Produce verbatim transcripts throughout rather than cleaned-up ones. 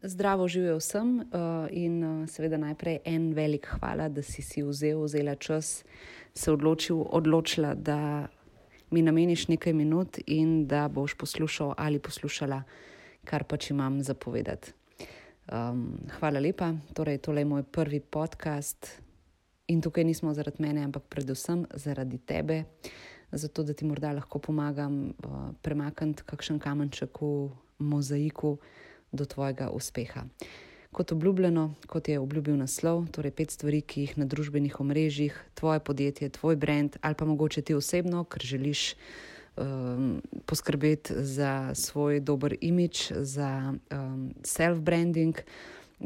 Zdravo živijo vsem uh, in uh, seveda najprej en velik hvala, da si si vzel, vzela čas, se odločil, odločila, da mi nameniš nekaj minut in da boš poslušal ali poslušala, kar pač imam za povedati. Um, hvala lepa, torej tole je moj prvi podcast in tukaj nismo zaradi mene, ampak predvsem zaradi tebe, zato da ti morda lahko pomagam uh, premakniti kakšen kamenček v mozaiku do tvojega uspeha. Kot obljubljeno, kot je obljubil naslov, torej pet stvari, ki jih na družbenih omrežjih, tvoje podjetje, tvoj brand ali pa mogoče ti osebno, ker želiš um, poskrbeti za svoj dober imidž, za um, self-branding,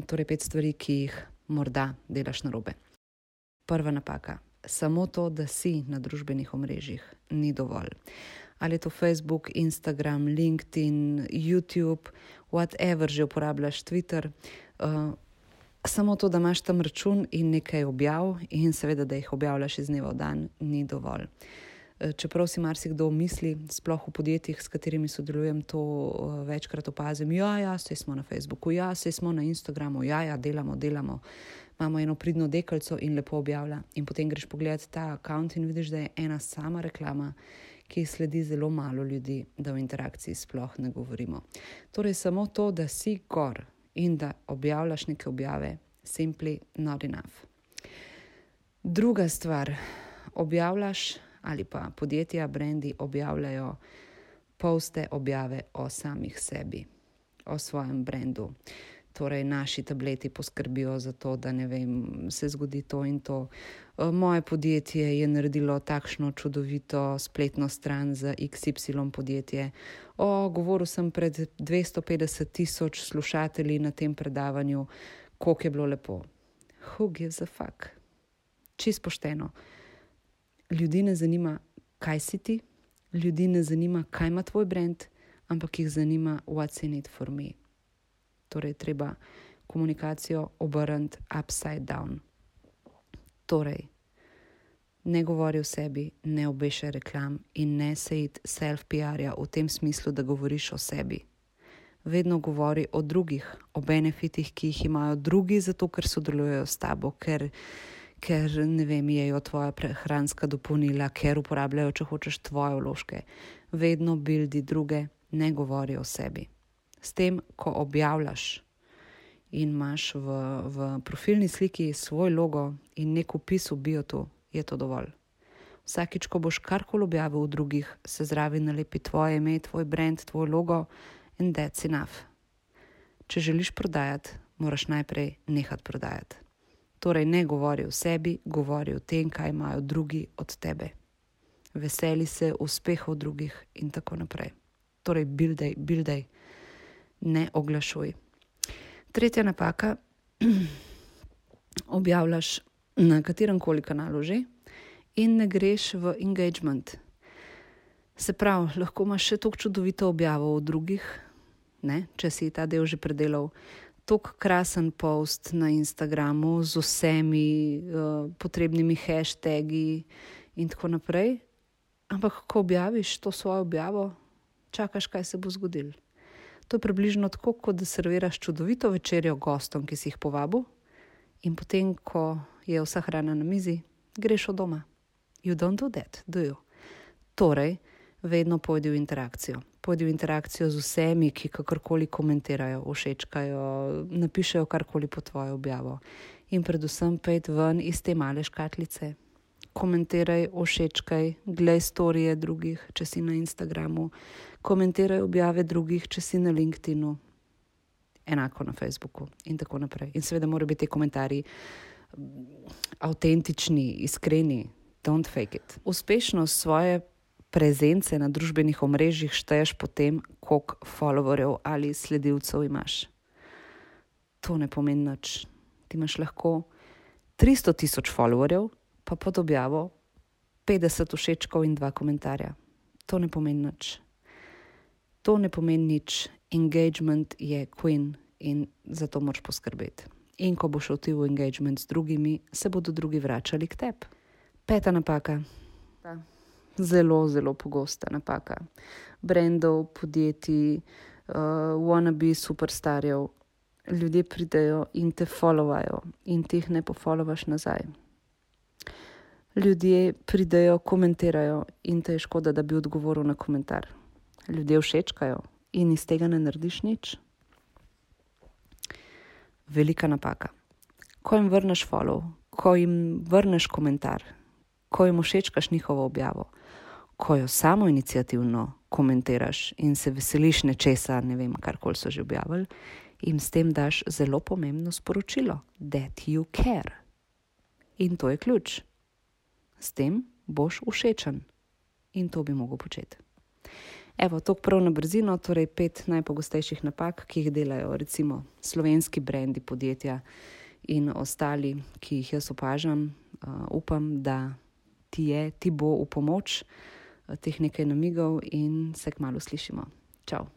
torej pet stvari, ki jih morda delaš narobe. Prva napaka. Samo to, da si na družbenih omrežjih, ni dovolj. Ali je to Facebook, Instagram, LinkedIn, YouTube, whatever že uporabljaš, Twitter. Uh, samo to, da imaš tam račun in nekaj objav in seveda, da jih objavljaš iz dneva v dan, ni dovolj. Uh, čeprav si marsikdo misli, sploh v podjetjih, s katerimi sodelujem, to uh, večkrat opazim. Ja, ja, saj smo na Facebooku, ja, saj smo na Instagramu, ja, ja, delamo, delamo. Imamo eno pridno deklico in lepo objavlja. In potem greš pogledati ta account in vidiš, da je ena sama reklama, ki sledi zelo malo ljudi, da v interakciji sploh ne govorimo. Torej samo to, da si gor in da objavljaš neke objave, simply not enough. Druga stvar, objavljaš ali pa podjetja, brendi objavljajo poste, objave o samih sebi, o svojem brendu. Torej, naši tableti poskrbijo za to, da ne vem, se zgodi to in to. Moje podjetje je naredilo takšno čudovito spletno stran za iks ipsilon podjetje. O, govoril sem pred dvesto petdeset tisoč slušatelji na tem predavanju, koliko je bilo lepo. Who gives a fuck? Čisto pošteno. Ljudi ne zanima, kaj si ti, ljudi ne zanima, kaj ima tvoj brand, ampak jih zanima what's in it for me. Torej, treba komunikacijo obrniti upside down. Torej, ne govori o sebi, ne obešaj reklam in ne se iti self-pi ar-ja v tem smislu, da govoriš o sebi. Vedno govori o drugih, o benefitih, ki jih imajo drugi, zato ker sodelujejo s tabo, ker, ker ne vem, jejo tvoja prehranska dopolnila, ker uporabljajo, če hočeš, tvoje vložke. Vedno buildi druge, ne govori o sebi. S tem, ko objavljaš in imaš v, v profilni sliki svoj logo in nek vpis v biotu, je to dovolj. Vsakič, ko boš karkoli objavil v drugih, se zraven nalepi tvoje ime, tvoj brand, tvoj logo and that's enough. Če želiš prodajati, moraš najprej nehati prodajati. Torej, ne govori o sebi, govori o tem, kaj imajo drugi od tebe. Veseli se uspehov drugih in tako naprej. Torej, buildaj, buildaj. Ne oglašuj. Tretja napaka, objavljaš na katerem koli kanalu že in ne greš v engagement. Se pravi, lahko imaš še toliko čudovito objavo od drugih, ne, če si ta del že predelal, toliko krasen post na Instagramu z vsemi uh, potrebnimi hashtagi in tako naprej, ampak ko objaviš to svojo objavo, čakaš, kaj se bo zgodilo. To je približno tako, kot da serviraš čudovito večerjo gostom, ki si jih povabil in potem, ko je vsa hrana na mizi, greš od doma. You don't do that, do you? Torej, vedno pojdi v interakcijo. Pojdi v interakcijo z vsemi, ki kakorkoli komentirajo, všečkajo, napišejo karkoli po tvojo objavo. In predvsem pejdi ven iz te male škatlice. Komentiraj, všečkaj, glej storije drugih, če si na Instagramu, komentiraj objave drugih, če si na LinkedInu, enako na Facebooku in tako naprej. In seveda morajo biti te komentarji avtentični, iskreni, don't fake it. Uspešnost svoje prezence na družbenih omrežjih šteješ po tem, koliko followerjev ali sledilcev imaš. To ne pomeni nič. Ti imaš lahko tristo tisoč followerjev, pa pod objavo petdeset všečkov in dva komentarja. To ne pomeni nič. To ne pomeni nič. Engagement je queen in zato moraš poskrbeti. In ko boš šel ti v engagement z drugimi, se bodo drugi vračali k tebi. Peta napaka. Zelo, zelo pogosta napaka. Brandov, podjetij, uh, wannabe superstarjev ljudje pridejo in te followajo in ti jih ne pofollowaš nazaj. Ljudje pridejo, komentirajo in te je škoda, da bi odgovoril na komentar. Ljudje všečkajo in iz tega ne narediš nič. Velika napaka. Ko jim vrneš follow, ko jim vrneš komentar, ko jim všečkaš njihovo objavo, ko jo samo iniciativno komentiraš in se veseliš nečesa, ne vem, karkoli so že objavili, jim s tem daš zelo pomembno sporočilo, that you care. In to je ključ. S tem boš všečen. In to bi mogel početi. Evo, to prav na brzino, torej pet najpogostejših napak, ki jih delajo recimo slovenski brendi, podjetja in ostali, ki jih jaz opažam. Uh, upam, da ti je, ti bo v pomoč uh, teh nekaj namigov in se kmalu slišimo. Čau.